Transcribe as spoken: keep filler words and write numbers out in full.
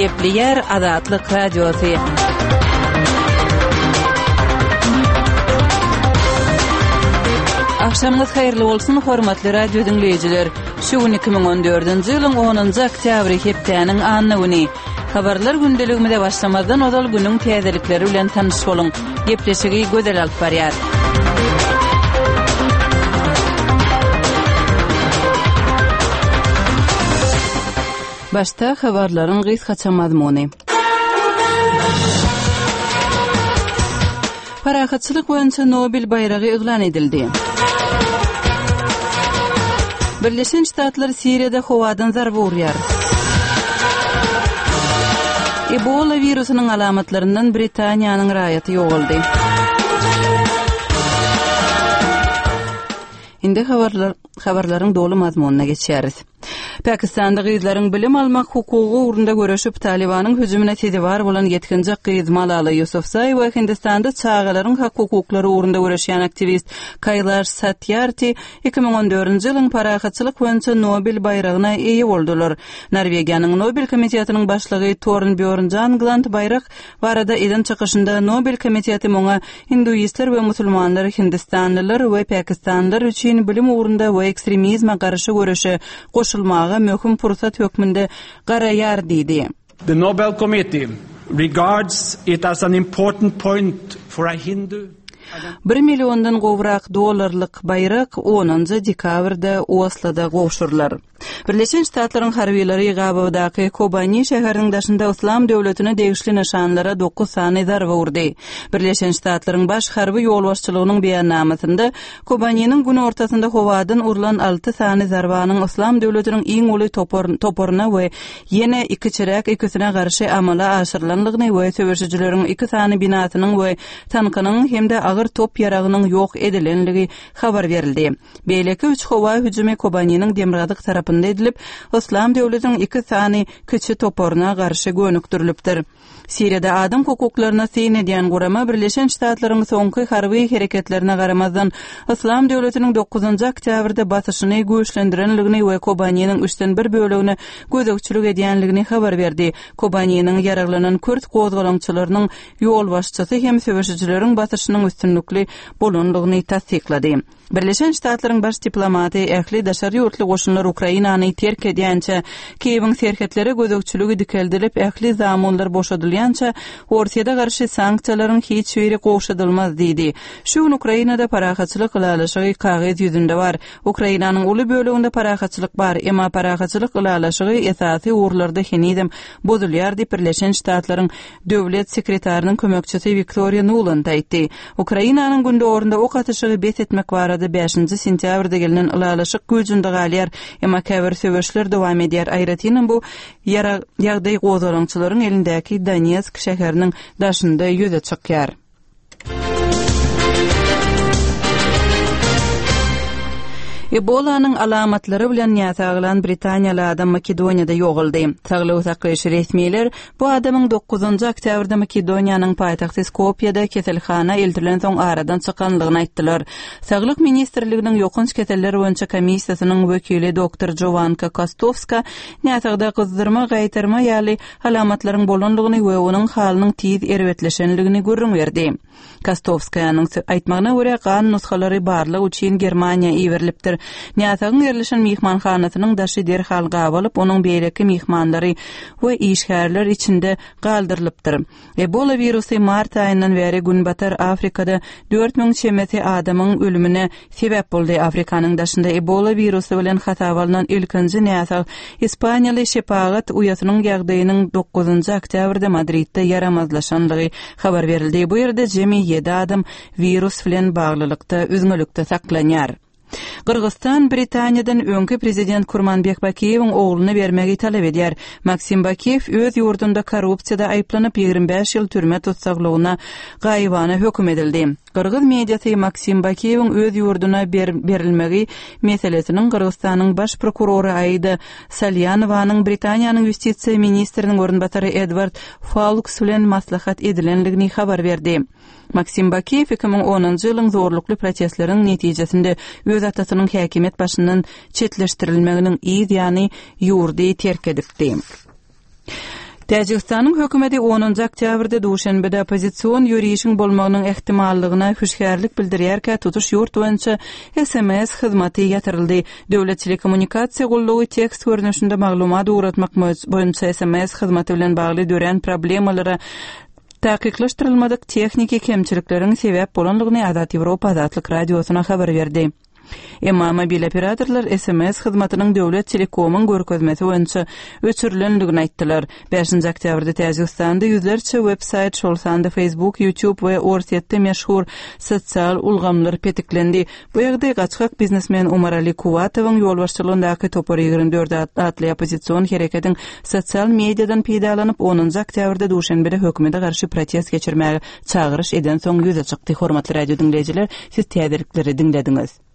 Gepleýär Azatlyk Radiosy. Agşamyňyz haýyrly bolsun, hormatly radio diňleýjiler. Şu gün iki müň on dördünji ýylyň onunjy oktýabry hepdäniň anna güni. Habarlar gündeligimize başlamazdan ozal günüň täzelikleri bilen tanyş boluň. Gepleşigi Gözel alyp barýar. Başda habarlaryň gysgaça mazmuny. Parahatçylyk boýunça Nobel baýragy yglan edildi. Birleşen Ştatlar Siriýada howadan zarba urýar. Ebola wirusynyň alamatlaryndan Britaniýanyň raýaty ýogaldy. Indi habarlar, habarlaryň doly mazmunyna geçýäris. Pakistanda gyzlaryň bilim almak hukugy ugrunda göreşip, Talybanyň hüjümine sezewar bolan ýetginjek gyz Malala Ýusufzaý we Hindistanda çagalaryň hak-hukuklary ugrunda göreşýän aktiwist Kailaş Satýarti iki müň on dördünji ýylyň parahatçylyk boýunça Nobel baýragyna eýe boldular. Norwegiýanyň Nobel komitetiniň başlygy Tornbjorn Jagland baýrak barada eden çykyşynda Nobel komiteti muňa hinduistler we musulmanlar, hindistanlylar we pakistanlylar üçin bilim ugrunda we ekstremizme garşy göreşe goşulmaga möhüm pursat hökmünde garaýar diýdi. The Nobel Committee regards it as an important point for a Hindu Bir milliondan gowrak dollarlyk baýrak onunjy dekabrda Osloda gowşurylar. Birleşen Ştatlaryň harbylary Gabawdaky Kobani şäheriniň daşynda Yslam döwletine degişli nyşanlara dokuz sany zarba urdy. Birleşen Ştatlaryň baş harby ýolbaşçylygynyň beýannamasynda Kobaniniň günortasynda howadan urlan alty sany zarbanyň Yslam döwletiniň iň uly toparyna we ýene iki çiräk ikisine garşy amala aşyrylanlygyny we söweşijileriň iki sany binasynyň we tankynyň hem-de agyr top ýaragynyň ýok edilenligi habar berildi. Beýleki üç howa hüjümi Kobaniniň demirgazyk tarapynda edilip, Yslam döwletiniň iki sany kiçi toparyna garşy gönükdirilipdir. Siriýada adam hukuklaryna syn edýän gurama Birleşen Ştatlaryň soňky harby hereketlerine garamazdan Yslam döwletiniň dokuzynjy oktýabrda basyşyny güýçlendirenligini we Kobaniniň üçden bir bölegine gözegçilik edýänligini habar berdi. Kobaniniň ýaraglanan kürt gozgalaňçylarynyň ýolbaşçysy hem söweşijileriň basyşynyň üstünlikli bolanlygyny tassyklady. Birleşen Ştatlaryň baş diplomaty ähli daşary ýurtly goşunlar Ukrainany terk edýänçä, Kiýewiň serhetlere gözegçiligi dikeldilip, ähli zamunlar boşadylýança, Orsýete garşy sanksiýalaryň hiç biri gowşadylmaz diýdi. Şu gün Ukrainada parahatçylyk ylalaşygy kagyz ýüzünde bar. Ukrainanyň uly böleginde parahatçylyk bar, emma parahatçylyk ylalaşygy esasy ugurlarda henizem bozulýar diýip Birleşen Ştatlaryň döwlet sekretarynyň kömekçisi Wiktoriýa Nuland aýtdy. Ukrainanyň gündogarynda ok atyşygy bes etmek barada bäşinji sentýabrda gelnen ylalaşyk güýjünde galýar, emma käbir söweşler dowam edýär. Aýratynam bu ýagdaý gozgalaňçylaryň elindäki Donetsk şäheriniň daşynda ýüze çykýar. Ebolanyň alamatlary bilen näsaglan Britaniýaly adam Makedoniýada ýogaldy. Saglygy saklaýyş resmiler bu adamyň dokuzynjy oktýabrda Makedoniýanyň paýtagty Skopýada keselhana eltilen soň aradan çykanlygyny aýtdylar. Saglyk ministrliginiň ýokanç keseller boýunça komissiýasynyň wekili doktor Jovanka Kostowska näsagda gyzdyrma, gaýtarma ýaly alamatlaryň bolanlygyny we onuň halynyň tiz erbetleşenligini gürrüň berdi. Kostowskaýanyň aýtmagyna görä, gan nusgalary barlyk üçin Germaniýa iberilipdir. Näsagyň ýerleşen myhmanhanasynyň daşy derhal gabalyp, onuň beýleki myhmanlary we işgärler içinde galdyrylypdyr. Ebola wirusy mart aýyndan bäri Günbatar Afrikada dört müň çemesi adamyň ölümine sebäp boldy. Afrikanyň daşynda Ebola wirusy bilen hasaba alnan ilkinji näsag Ispaniýaly şepagat uýasynyň ýagdaýynyň dokuzynjy oktýabrda Madridde ýaramazlaşanlygy habar berildi. Bu ýerde jemi ýedi adam wirus bilen baglylykda üzňelikde saklanýar. Gyrgyzstan Britaniýadan öňki prezident Kurmanbek Bakiýewiň ogluny bermegi talap edýär. Maksim Bakiýew öz ýurdunda korrupsiýada aýyplanyp ýigrimi bäş ýyl türme tussaglygyna gaýybana höküm edildi. Gyrgyz mediasy Maksim Bakiýewiň öz ýurduna berilmegi meselesiniň Gyrgyzstanyň baş prokurory Aida Salýanowanyň Britaniýanyň ýustisiýa ministriniň orunbasary Edward Faulks bilen maslahat edilenligini habar berdi. Maksim Bakiýew iki müň onunjy ýylyň zorlukly protestleriň netijesinde öz atasynyň häkimiýet başyndan çetleşdirilmeginiň yz ýany ýurdy terk edipdi. Täjigistanyň hökümeti onunjy oktýabrda Duşenbede oppozision ýörişiň bolmagynyň ähtimallygyna hüşgärlik bildirýärkä, tutuş ýurt boýunça S M S hyzmaty ýatyryldy. Döwlet telekommunikasiýa gullugy tekst görnüşinde maglumat ugratmak boýunça S M S hyzmaty bilen bagly dörän problemalara takyklaşdyrylmadyk tehniki kemçilikleriň sebäp bolandygyny Azat Ýewropa Azatlyk Radiosyna habar berdi. Emma mobil operatorlar S M S hyzmatynyň döwlet telekomyň görkezmesi boýunça öçürilendigini aýtdylar. bäşinji oktýabrda Täjigistanda ýüzlerçe web-saýt, şol sanda Facebook, YouTube we Orsýetde meşhur sosial ulgamlar petiklendi. Bu ýagdaý gaçgak biznesmen Umarali Kuwatowyň ýolbaşçylygyndaky Topar ýigrimi dört atly oppozision hereketiň sosial mediadan peýdalanyp, onunjy oktýabrda Duşenbede hökümete garşy protest geçirmäge çagyryş edensoň ýüze çykdy. Hormatly radio diňleýjiler, siz täzelikleri diňlediňiz.